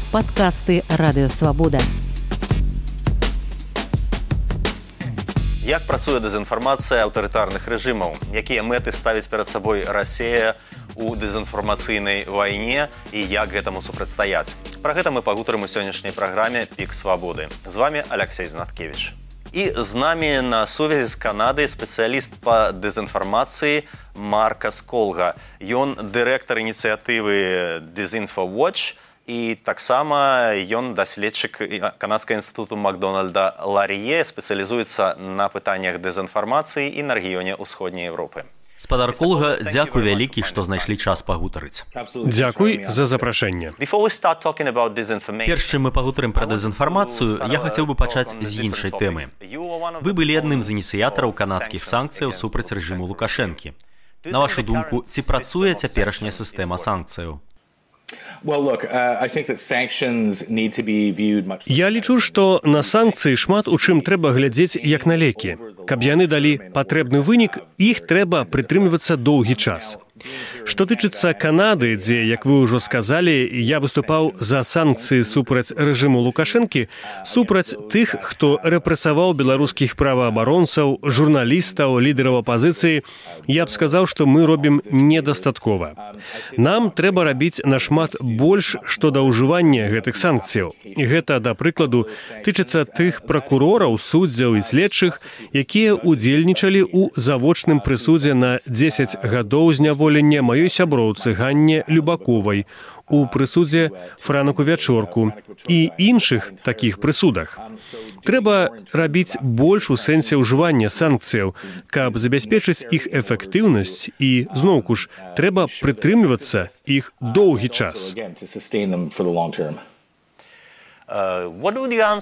Падкасты Радыёвабода. Як працуе дэзінфармацыя аўтарытарных рэжымаў? Якія мэты ставіць перад сабой Расія у дэзінфармацыйнай вайне і як гэтаму супрацьстаяць? Пра гэта мы пагутарым у сённяшняй праграме «Пік свабоды». З вами Алексей Знаткевич. І з намі на сувязі з Канады спецыяліст па дэзінфармацыі Маркас Колга. Ён дырэктар ініцыятывы «Disinfowatch» і таксама ён даследчык Канадскага інстытуту Макдональда Ларье, спецыялізуецца на пытаннях дэзінфармацыі і на рэгіёне ўсходняй Европы. Спадар Колга, дзякуй вялікі, што знайшлі час пагутарыць. Дзякуй за запрашэнне. Перш чым мы пагутарым пра дэзінфармацыю, я хацеў бы пачаць з іншай тэмы. Вы былі адным з ініцыятараў канадскіх санкцыяў супраць рэжыму Лукашэнкі. На вашу думку, ці працуе цяперашняя сістэма санкцыяў? Я лічу, што на санкцыі шмат у чым трэба глядзець як на лекі. Каб яны далі патрэбны вынік, іх трэба прытрымлівацца доўгі час. Што тычыцца Канады, дзе, як вы ўжо сказалі, я выступаў за санкцыі супраць рэжыму Лукашэнкі, супраць тых, хто рэпрэсаваў беларускіх праваабаронцаў, журналістаў, лідараў апазіцыі, я б сказаў, што мы робім недастаткова. Нам трэба рабіць нашмат больш, што да ўжывання гэтых санкцыяў. І гэта, да прыкладу, тычыцца тых пракурораў, суддзяў і следчых, якія ўдзельнічалі ў завочным прысудзе на 10 гадоў зняволення маёй сяброўцы Ганне Любаковай, у прысудзе Франаку Вячорку і іншых такіх прысудах. Трэба рабіць больш у сэнсе ўжывання санкцыяў, каб забяспечыць іх эфектыўнасць і, зноўку ж, трэба прытрымлівацца іх доўгі час.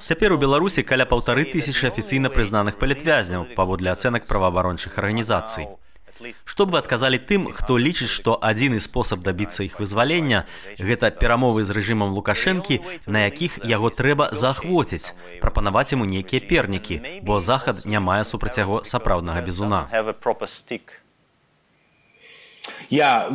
Цяпер у Беларусі каля 1500 афіцыйна прызнаных палітвязняў, паводле ацэнак праваабарончых арганізацый. Што б вы адказалі тым, хто лічыць, што адзіны спосаб дабіцца іх вызвалення – гэта перамовы з рэжымам Лукашэнкі, на якіх яго трэба заахвоціць, прапанаваць яму нейкія пернікі, бо Захад не мае супраць яго сапраўднага бізуна. Я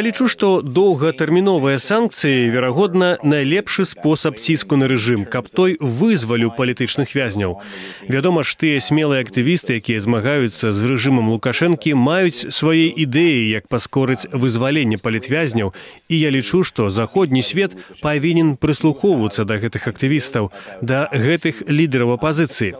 лічу, што доўгатэрміновыя санкцыі, верагодна, найлепшы спосаб ціску на рэжым, каб той вызваліў палітычных вязняў. Вядома ж, тыя смелыя актывісты, якія змагаюцца з рэжымам Лукашэнкі, маюць свае ідэі, як паскорыць вызваленне палітвязняў, і я лічу, што заходні свет павінен прыслухоўвацца да гэтых актывістаў, да гэтых лідараў апазіцыі.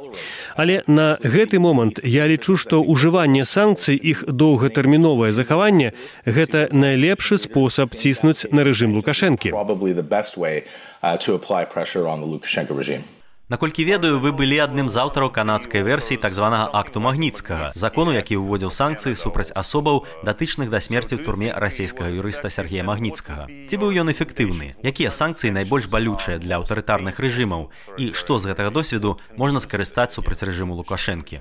Але на гэты момант я лічу, што ўжыванне санкцый, іх доўгатэрміновае захаванне – гэта найлепшы спосаб ціснуць на рэжым Лукашэнкі. Наколькі ведаю, вы былі адным з аўтараў канадскай версіі так званага акту Магніцкага, закону, які ўводзіў санкцыі супраць асобаў, датычных да смерці ў турме расійскага юрыста Сергея Магніцкага. Ці быў ён эфектыўны? Якія санкцыі найбольш балючыя для аўтарытарных рэжымаў? І што з гэтага досведу можна скарыстаць супраць рэжыму Лукашэнкі?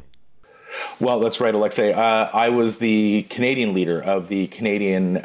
Well, that's right, Alexei. I was the Canadian leader of the Canadian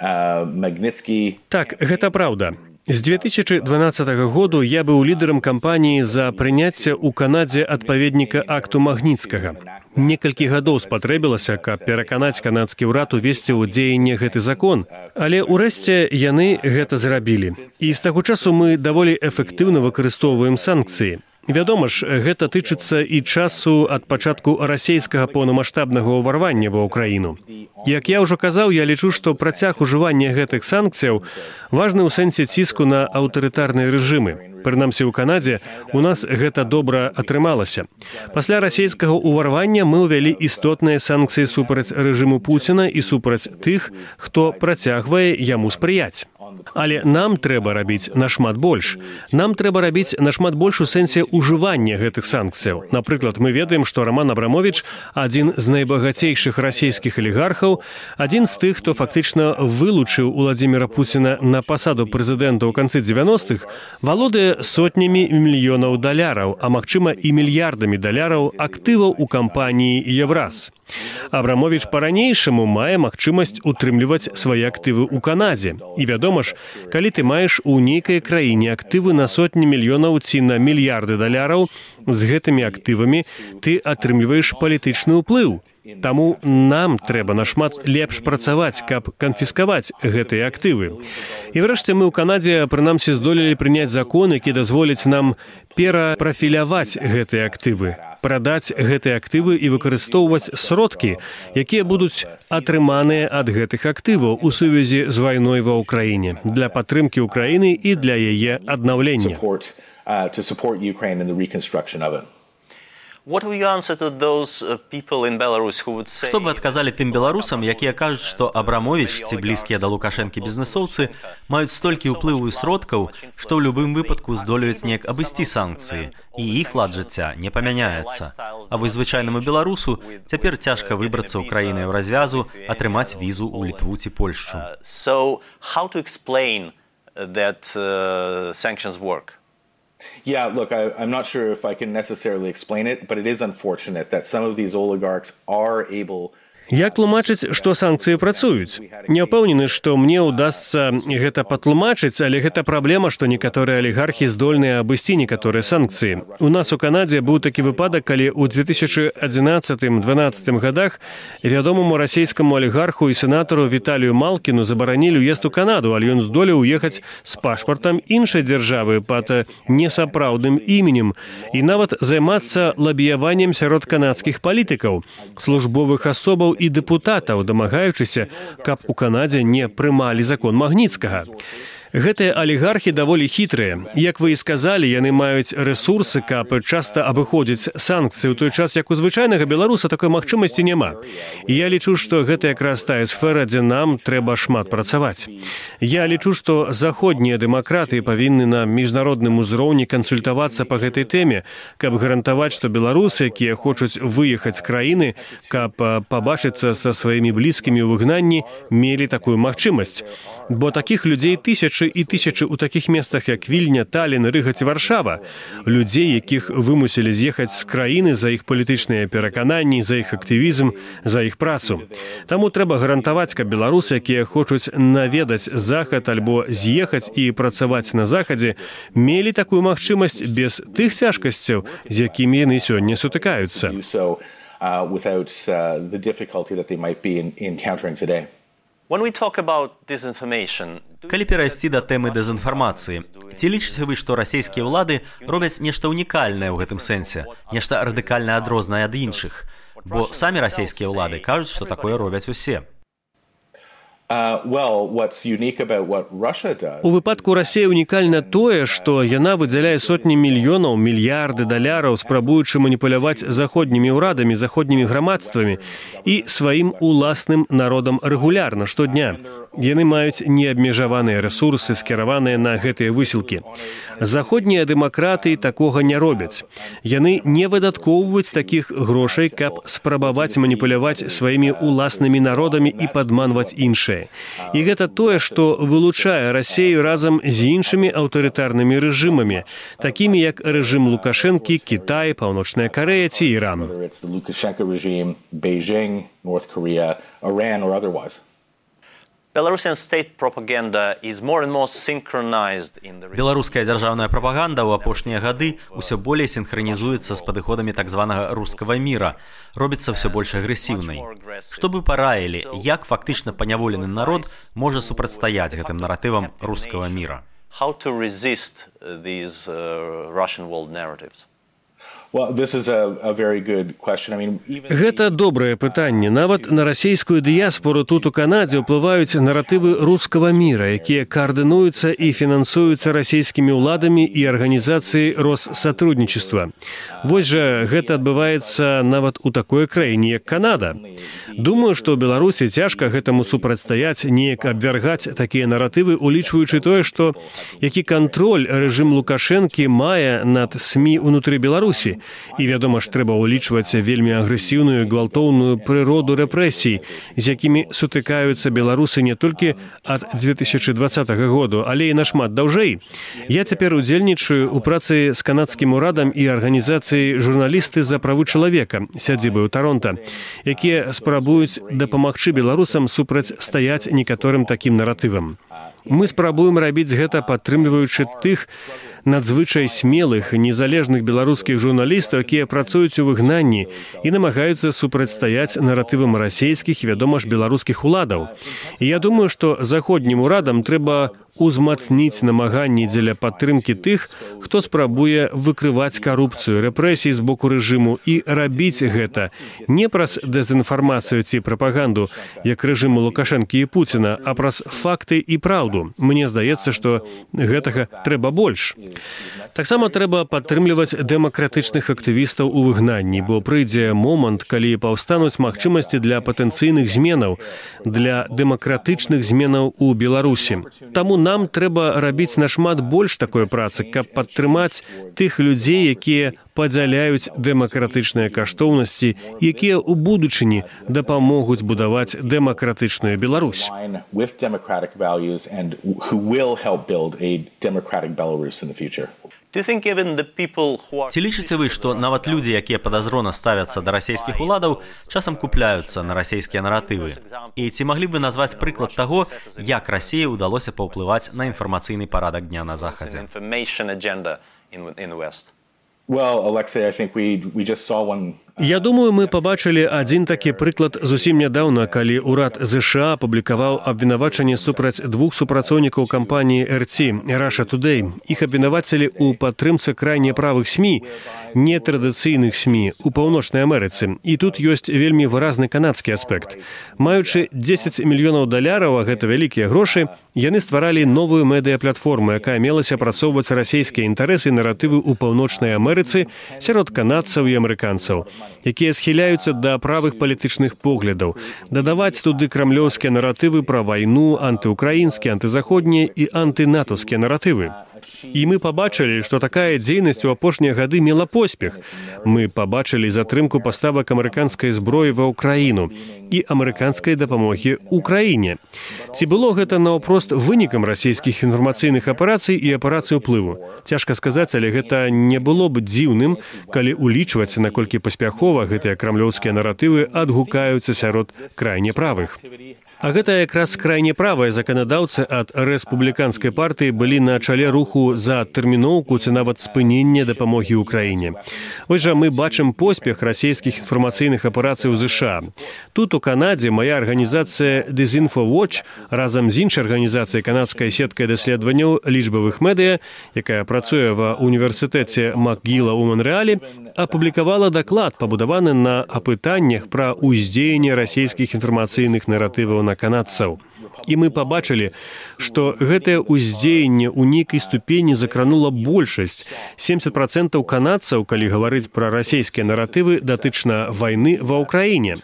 Magnitsky. Так, гэта праўда. З 2012 году я быў лідарам кампаніі за прыняцце ў Канадзе адпаведніка акту Магніцкага. Некалькі гадоў спатрэбілася, каб пераканаць канадскі ўрад увесці ў дзеянне гэты закон, але ўрэшце яны гэта зрабілі. І з таго часу мы даволі эфектыўна выкарыстоўваем санкцыі. Вядома ж, гэта тычыцца і часу ад пачатку расійскага поўнамаштабнага ўварвання ва ўкраіну. Як я ўжо казаў, я лічу, што працяг ужывання гэтых санкцыяў важны ў сэнсе ціску на аўтарытарныя рэжымы. Прынамсі ў Канадзе у нас гэта добра атрымалася. Пасля расійскага ўварвання мы ўвялі істотныя санкцыі супраць рэжыму Пуціна і супраць тых, хто працягвае яму спрыяць. Але нам трэба рабіць нашмат больш. Нам трэба рабіць нашмат больш у сэнсе ўжывання гэтых санкцыяў. Напрыклад, мы ведаем, што Роман Абрамович, адзін з найбагацейшых расійскіх алігархаў, адзін з тых, хто фактычна вылучыў Уладзіміра Пуціна на пасаду прэзідэнта ў канцы 90-х, валодае сотнямі мільёнаў даляраў, а магчыма і мільярдамі даляраў актываў у кампаніі «Евраз». Абрамович па-ранейшаму мае магчымасць утрымліваць свае актывы ў Канадзе. І вядома ж, ж, калі ты маеш у нейкай краіне актывы на сотні мільёнаў ці на мільярды даляраў, з гэтымі актывамі ты атрымліваеш палітычны ўплыў. Таму нам трэба нашмат лепш працаваць, каб канфіскаваць гэтыя актывы. І врэшце мы ў Канадзе, прынамсі, здолелі прыняць закон, які дазволіць нам перапрафіляваць гэтыя актывы, прадаць гэтыя актывы і выкарыстоўваць сродкі, якія будуць атрыманыя ад гэтых актываў у сувязі з вайной ва ўкраіне для падтрымкі ўкраіны і для яе аднаўлення. Што бы адказалі тым беларусам, якія кажуць, што Абрамовіч ці блізкія да Лукашэнкі бізнэсоўцы маюць столькі ўплыву і сродкаў, што ў любым выпадку здолеюць неяк абысці санкцыі, і іх лад жыцця не памяняецца. А вось звычайнаму беларусу цяпер цяжка выбрацца ў краіны ў развязу, атрымаць візу ў Літву ці Польшчу. Yeah, look, I'm not sure if I can necessarily explain it, but it is unfortunate that some of these oligarchs are able... Як тлумачыць, што санкцыі працуюць? Не ўпэўнены, што мне ўдасца гэта патлумачыць, але гэта праблема, што некаторыя алігархі здольныя абысці некаторыя санкцыі. У нас у Канадзе быў такі выпадак, калі ў 2011-2012 годах вядомаму расійскаму алігарху і сенатару Віталію Малкіну забаранілі ўезд у Канаду, але ён здолеў уехаць з пашпартам іншай дзяржавы пад несапраўдным іменем і нават займацца лабіяваннем сярод канадскіх палітыкаў, службовых асобаў і дэпутатаў, дамагаючыся, каб у Канадзе не прымалі закон Магніцкага. Гэтыя алігархі даволі хітрыя. Як вы і сказалі, яны маюць рэсурсы, каб часта абыходзіць санкцыі, у той час, як у звычайнага беларуса такой магчымасці няма. І я лічу, што гэта якраз тая сфера, дзе нам трэба шмат працаваць. Я лічу, што заходнія дэмакраты павінны на міжнародным узроўні кансультавацца па гэтай тэме, каб гарантаваць, што беларусы, якія хочуць выехаць з краіны, каб пабачыцца са сваімі блізкімі ў выгнанні, мелі такую магчымасць. Бо такіх людзей тысячы і тысячы ў такіх месцах, як Вільня, Талін, Рыга ці Варшава. Людзей, якіх вымусілі з'ехаць з краіны за іх палітычныя перакананні, за іх актывізм, за іх працу. Таму трэба гарантаваць, каб беларусы, якія хочуць наведаць Захад альбо з'ехаць і працаваць на Захадзе, мелі такую магчымасць без тых цяжкасцяў, з якімі яны сёння сутыкаюцца. Калі перайсці да тэмы дэзінфармацыі, ці лічыце вы, што расійскія ўлады робяць нешта ўнікальнае ў гэтым сэнсе, нешта радыкальна адрознае ад іншых? Бо самі расійскія ўлады кажуць, што такое робяць усе. У выпадку Расіі унікальна тое, што яна выдзяляе сотні мільёнаў, мільярды даляраў, спрабуючы маніпуляваць заходнімі ўрадамі, заходнімі грамадствамі і сваім уласным народам рэгулярна, штодня. Яны маюць неабмежаваныя рэсурсы, скіраваныя на гэтыя высілкі. Заходнія дэмакраты такога не робяць. Яны не выдаткоўваюць такіх грошай, каб спрабаваць маніпуляваць сваімі уласнымі народамі і падманваць іншыя. І гэта тое, што вылучае Расію разам з іншымі аўтарытарнымі рэжымамі, такімі як рэжым Лукашэнкі, Кітай, Паўночная Карэя ці Іран. Беларуская дзяржаўная прапаганда ў апошнія гады ўсё болей сінхранізуецца з падыходамі так званага рускага міра, робіцца ўсё больш агрэсіўнай. Што бы параілі, як фактычна паняволены народ можа супрацьстаяць гэтым наратывам рускага міра? Гэта добрае пытанне. Нават на расійскую дыяспору тут у Канадзе ўплываюць наратывы рускага міра, якія каардынуюцца і фінансуюцца расійскімі ўладамі і арганізацыяй Россатрудничества. Вось жа гэта адбываецца нават у такой краіне, як Канада. Думаю, што ў Беларусі цяжка гэтаму супрацьстаяць, неяк абвяргаць такія наратывы, улічваючы тое, што які кантроль рэжым Лукашэнкі мае над СМІ ўнутры Беларусі. І, вядома ж, трэба ўлічваць вельмі агрэсіўную, гвалтоўную прыроду рэпрэсій, з якімі сутыкаюцца беларусы не толькі ад 2020 году, але і нашмат даўжэй. Я цяпер удзельнічаю ў працы з канадскім урадам і арганізацыяй «Журналісты за правы чалавека» сядзібы ў Таронта, якія спрабуюць дапамагчы беларусам супрацьстаяць некаторым такім наратывам. Мы спрабуем рабіць гэта, падтрымліваючы тых надзвычай смелых, незалежных беларускіх журналістаў, якія працуюць у выгнанні і намагаюцца супрацьстаяць наратывам расейскіх, вядома ж, беларускіх уладаў. І я думаю, што заходнім урадам трэба узмацніць намаганні дзеля падтрымкі тых, хто спрабуе выкрываць карупцыю, рэпрэсіі з боку рэжыму і рабіць гэта не праз дэзінфармацыю ці прапаганду, як рэжыму Лукашэнкі і Пуціна, а праз факты і праўду. Мне здаецца, што гэтага трэба больш. Таксама трэба падтрымліваць дэмакратычных актывістаў у выгнанні, бо прыйдзе момант, калі паўстануць магчымасці для патэнцыйных зменаў, для дэмакратычных зменаў у Беларусі. Таму нам трэба рабіць нашмат больш такой працы, каб падтрымаць тых людзей, якія падзяляюць дэмакратычныя каштоўнасці, якія ў будучыні дапамогуць будаваць дэмакратычную Беларусь. Ці лічыце вы, што нават людзі, якія падазрона ставяцца да расійскіх уладаў, часам купляюцца на расійскія наратывы? І ці маглі б вы назваць прыклад таго, як Расіі ўдалося паўплываць на інфармацыйны парадак дня на Захадзе? Well, Alexei, I think we just saw one. Я думаю, мы пабачылі адзін такі прыклад зусім нядаўна, калі ўрад ЗША апублікаваў абвінавачанне супраць двух супрацоўнікаў кампаніі RT, Russia Today. Іх абвінавацілі ў падтрымцы крайне правых СМІ, нетрадыцыйных СМІ у Паўночнай Амерыцы. І тут ёсць вельмі выразны канадскі аспект. Маючы $10 мільёнаў, а гэта вялікія грошы, яны стваралі новую медыяплатформу, якая мелася апрацоўваць расійскія інтарэсы і наратывы ў Паўночнай Амерыцы сярод канадцаў і амерыканцаў, якія схіляюцца да правых палітычных поглядаў, дадаваць туды крамлёўскія наратывы пра вайну, антыукраінскія, антызаходнія і антынатаўскія наратывы. І мы пабачылі, што такая дзейнасць у апошнія гады мела поспех. Мы пабачылі затрымку паставак амерыканскай зброі ва ўкраіну і амерыканскай дапамогі ўкраіне. Ці было гэта наўпрост вынікам расійскіх інфармацыйных аперацый і аперацый уплыву? Цяжка сказаць, але гэта не было б дзіўным, калі улічваць, наколькі паспяхова гэтыя крамлёўскія наратывы адгукаюцца сярод крайне правых. А гэта якраз крайне правыя заканадаўцы ад рэспубліканскай партыі былі на чале руху за тэрміноўку ці нават спынення дапамогі ўкраіне. Вось жа мы бачым поспех расійскіх інфармацыйных аперацый у ЗША. Тут у Канадзе мая арганізацыя DisinfoWatch разам з іншай арганізацыяй канадскай сеткай даследаванняў лічбавых медыя, якая працуе ва універсітэце МакГіла ў Монрэалі, апублікавала даклад, пабудаваны на апытаннях пра ўздзеянне расійскіх інфармацыйных наратываў на канадцаў. І мы пабачылі, што гэтае ўздзеянне ў нейкай ступені закранула большасць, 70% канадцаў, калі гаварыць пра расійскія наратывы датычна вайны ва ўкраіне.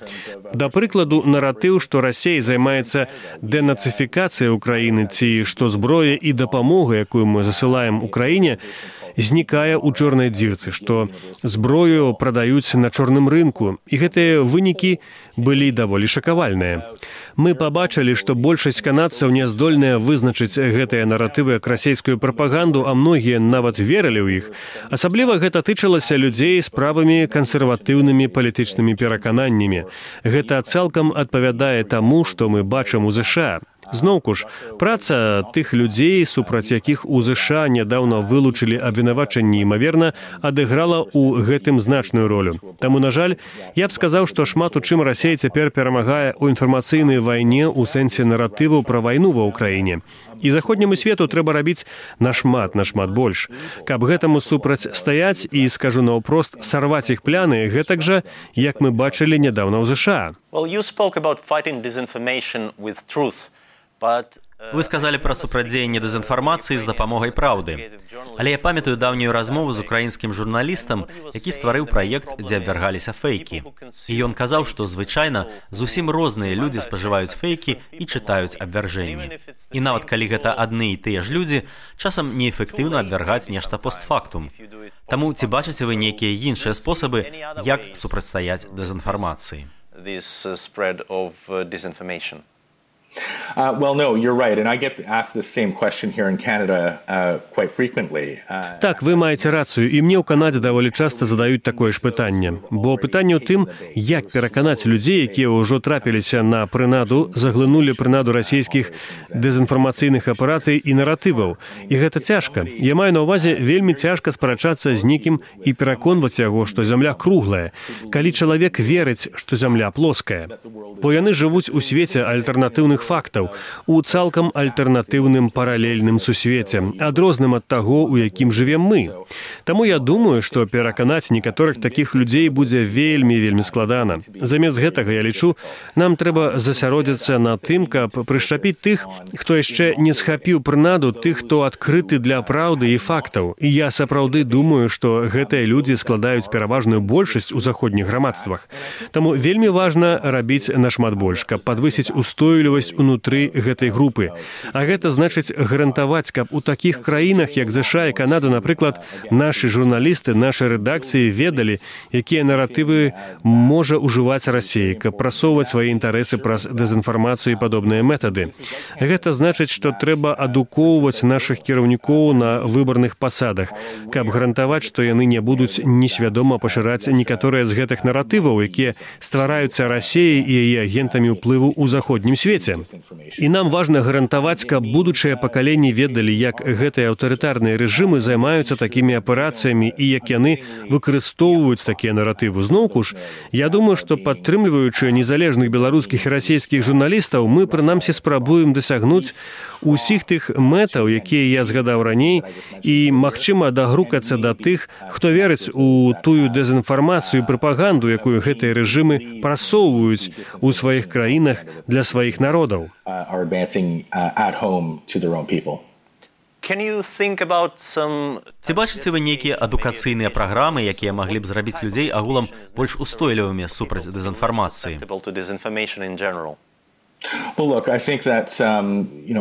Да прыкладу, наратыў, што Расія займаецца дэнацыфікацыяй Украіны, ці што зброя і дапамога, якую мы засылаем Украіне, знікае ў чорнай дзірцы, што зброю прадаюць на чорным рынку, і гэтыя вынікі былі даволі шакавальныя. Мы пабачылі, што большасць канадцаў не здольныя вызначыць гэтыя наратывы як расійскую прапаганду, а многія нават верылі ў іх. Асабліва гэта тычылася людзей з правымі кансерватыўнымі палітычнымі перакананнямі. Гэта цалкам адпавядае таму, што мы бачым у ЗША. Зноўку ж, праца тых людзей, супраць якіх у ЗША нядаўна вылучылі абвінавачанні, імаверна, адыграла ў гэтым значную ролю. Таму, на жаль, я б сказаў, што шмат у чым Расія цяпер перамагае ў інфармацыйнай вайне ў сэнсе наратываў пра вайну ва ўкраіне. І заходняму свету трэба рабіць нашмат больш. Каб гэтаму супрацьстаяць і, скажу наўпрост, сарваць іх пляны, гэтак жа, як мы бачылі нядаўна ў ЗША. Вы сказалі пра супрацьдзеянне дэзінфармацыі з дапамогай праўды. Але я памятаю даўнюю размову з украінскім журналістам, які стварыў праект, дзе абвяргаліся фэйкі. І ён казаў, што звычайна зусім розныя людзі спажываюць фэйкі і чытаюць абвяржэнні. І нават калі гэта адны і тыя ж людзі, часам неэфектыўна абвяргаць нешта постфактум. Таму ці бачыце вы нейкія іншыя спосабы, як супрацьстаяць дэзінфармацыі? Well, no, you're right, and I get asked this same question here in Canada quite frequently. Так, вы маеце рацыю, і мне ў Канадзе даволі часта задаюць такое ж пытанне. Бо пытанне ў тым, як пераканаць людзей, якія ўжо трапіліся на прынаду, заглынулі прынаду расійскіх дэзінфармацыйных аперацый і наратываў. І гэта цяжка. Я маю на ўвазе, вельмі цяжка спрачацца з некім і пераконваць яго, што зямля круглая, калі чалавек верыць, што зямля плоская. Бо яны жывуць у свеце альтэрнатыўных фактаў, у цалкам альтэрнатыўным паралельным сусвеце, адрозным ад таго, у якім жывем мы. Таму я думаю, што пераканаць некаторых такіх людзей будзе вельмі складана. Замест гэтага, я лічу, нам трэба засяродзіцца на тым, каб прышчапіць тых, хто яшчэ не схапіў прынаду, тых, хто адкрыты для праўды і фактаў. І я сапраўды думаю, што гэтыя людзі складаюць пераважную большасць у заходніх грамадствах. Таму вельмі важна рабіць нашмат больш, каб падвысіць устойлівасць унутры гэтай групы. А гэта значыць гарантаваць, каб у такіх краінах, як ЗША і Канада, напрыклад, нашы журналісты, нашы рэдакцыі ведалі, якія наратывы можа ўжываць Расія, каб прасоўваць свае інтарэсы праз дэзінфармацыю і падобныя метады. Гэта значыць, што трэба адукоўваць нашых кіраўнікоў на выбарных пасадах, каб гарантаваць, што яны не будуць несвядома пашыраць некаторыя з гэтых наратываў, якія ствараюцца Расіяй і яе агентамі ўплыву ў заходнім свеце. І нам важна гарантаваць, каб будучыя пакаленні ведалі, як гэтыя аўтарытарныя рэжымы займаюцца такімі аперацыямі і як яны выкарыстоўваюць такія наратывы. Зноўку ж, я думаю, што падтрымліваючы незалежных беларускіх і расійскіх журналістаў, мы прынамсі спрабуем дасягнуць усіх тых мэтаў, якія я згадаў раней, і, магчыма, дагрукацца да тых, хто верыць у тую дэзінфармацыю і прапаганду, якую гэтыя рэжымы прасоўваюць у сваіх краінах для сваіх народаў. Ці бачыце вы нейкія адукацыйныя праграмы, якія маглі б зрабіць людзей агулам больш устойлівымі супраць дэзінфармацыі? Well, look, I think that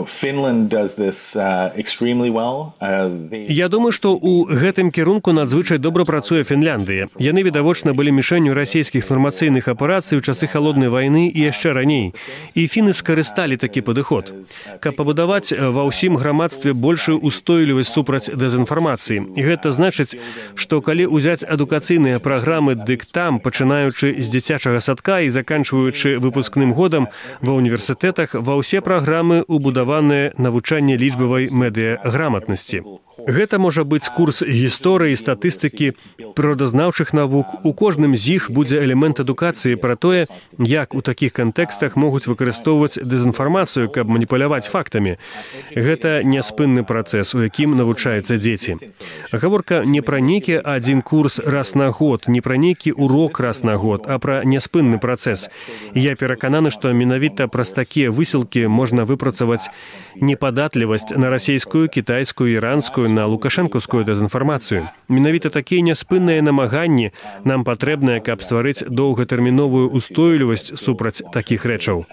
Finland does this extremely well. Я думаю, што ў гэтым кірунку надзвычай добра працуе Фінляндыя. Яны, відавочна, былі мішэнню расійскіх інфармацыйных аперацый у часы халоднай вайны і яшчэ раней. І фіны скарысталі такі падыход. Каб пабудаваць ва ўсім грамадстве большую устойлівасць супраць дэзінфармацыі. І гэта значыць, што калі ўзяць адукацыйныя праграмы, дык там, пачынаючы з дзіцячага садка і заканчваючы выпускным годам ва універсітэтах, ва ўсе праграмы убудаваныя навучанне лічбавай медыяграматнасці. Гэта можа быць курс гісторыі, статыстыкі, прыродазнаўчых навук. У кожным з іх будзе элемент адукацыі пра тое, як у такіх кантэкстах могуць выкарыстоўваць дэзінфармацыю, каб маніпуляваць фактамі. Гэта няспынны працэс, у якім навучаюцца дзеці. Гаворка не пра нейкі адзін курс раз на год, не пра нейкі урок раз на год, а пра няспынны працэс. Я перакананы, што менавіта праз такія высілкі можна выпрацаваць непадатлівасць на расійскую, кітайскую, іранскую, на лукашэнкаўскую дэзінфармацыю. Менавіта такія няспынныя намаганні нам патрэбныя, каб стварыць доўгатэрміновую устойлівасць супраць такіх рэчаў.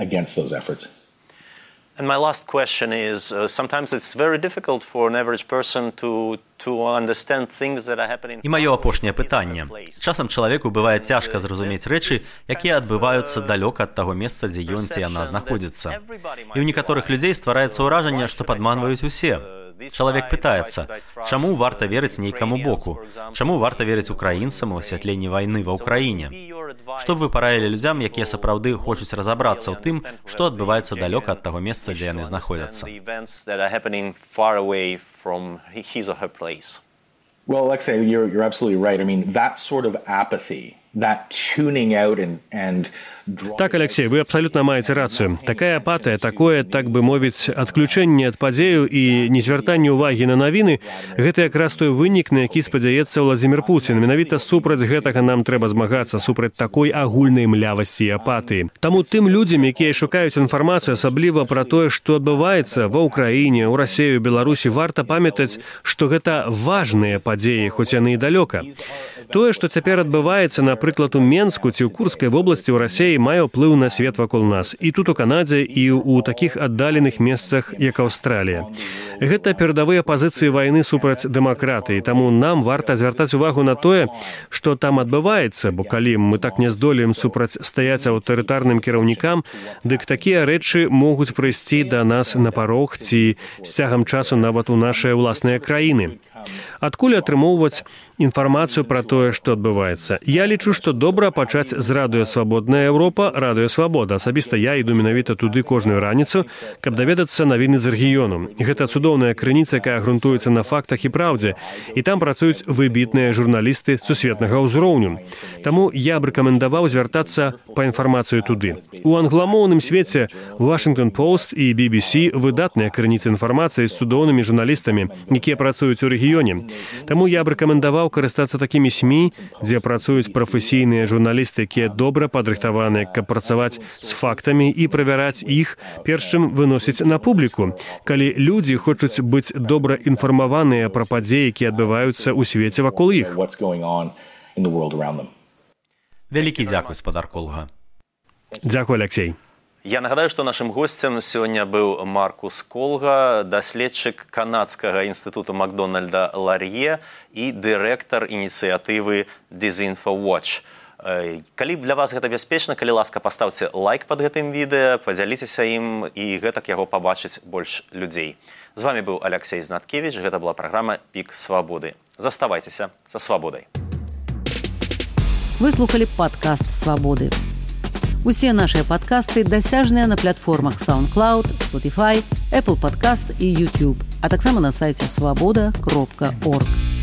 And my last question is, sometimes it's very difficult for an average person to understand things that are happening. І маё апошняе пытанне. Часам чалавеку бывае цяжка зразумець рэчы, якія адбываюцца далёка ад таго месца, дзе ён ці яна знаходзіцца. І ў некаторых людзей ствараецца ўражанне, што падманваюць усе. Чалавек пытаецца, чаму варта верыць нейкаму боку? Чаму варта верыць украінцам у асвятленні вайны ва ўкраіне? Што б вы параілі людзям, якія сапраўды хочуць разабрацца ў тым, што адбываецца далёка ад таго месца, дзе яны знаходзяцца? Well, Alexei, you're absolutely right. I mean, that sort of apathy, that tuning out and Так, Алексей, вы абсалютна маеце рацыю. Такая апатыя, такое, так бы мовіць, адключэнне ад падзеяў і незвяртанне ўвагі на навіны, гэта якраз той вынік, на які спадзяецца Владзімір Пуцін. Менавіта супраць гэтага нам трэба змагацца, супраць такой агульнай млявасці і апатыі. Таму тым людзям, якія шукаюць інфармацыю, асабліва пра тое, што адбываецца ва ўкраіне, у Расіі, у Беларусі, варта памятаць, што гэта важныя падзеі, хоць яны і далёка. Тое, што цяпер адбываецца, напрыклад, у Менску ці ў Курскай вобласці ў Расіі, мае ўплыў на свет вакол нас. І тут у Канадзе, і ў такіх аддаленых месцах, як Аўстралія. Гэта перадавыя пазіцыі вайны супраць дэмакратыі, таму нам варта звяртаць увагу на тое, што там адбываецца, бо калі мы так не здолеем супрацьстаяць аўтарытарным кіраўнікам, дык такія рэчы могуць прыйсці да нас на парог ці з цягам часу нават у нашыя ўласныя краіны. Адкуль атрымоўваць інфармацыю пра тое, што адбываецца? Я лічу, што добра пачаць з радыё «Свабодная Еўропа», радыё «Свабода». Асабіста я іду менавіта туды кожную раніцу, каб даведацца навіны з рэгіёну. Гэта цудоўная крыніца, якая грунтуецца на фактах і праўдзе, і там працуюць выбітныя журналісты сусветнага ўзроўню. Таму я б рэкамендаваў звяртацца па інфармацыю туды. У англамоўным свеце Washington Post і BBC выдатныя крыніцы інфармацыі з цудоўнымі журналістамі, якія працуюць у рэгіёне. Таму я б рэкамендаваў карыстацца такімі СМІ, дзе працуюць прафесійныя журналісты, якія добра падрыхтаваныя, каб працаваць з фактамі і правяраць іх, перш чым выносіць на публіку, калі людзі хочуць быць добра інфармаваныя пра падзеі, якія адбываюцца ў свеце вакол іх. Вялікі дзякуй, спадар Колга. Дзякуй, Алексей. Я нагадаю, што нашым госцем сёння быў Маркус Колга, даследчык канадскага інстытуту Макдональда Лар'е і дырэктар ініцыятывы «DisinfoWatch». Калі для вас гэта бяспечна, калі ласка, паставце лайк пад гэтым відэа, падзяліцеся ім і гэтак яго пабачыць больш людзей. З вами быў Алексей Знаткевіч, гэта была праграма «Пік свабоды». Заставайцеся са свабодай. Вы слухалі падкаст «Свабоды». Усе нашыя падкасты дасяжныя на платформах SoundCloud, Spotify, Apple Podcasts і YouTube, а таксама на сайце swaboda.org.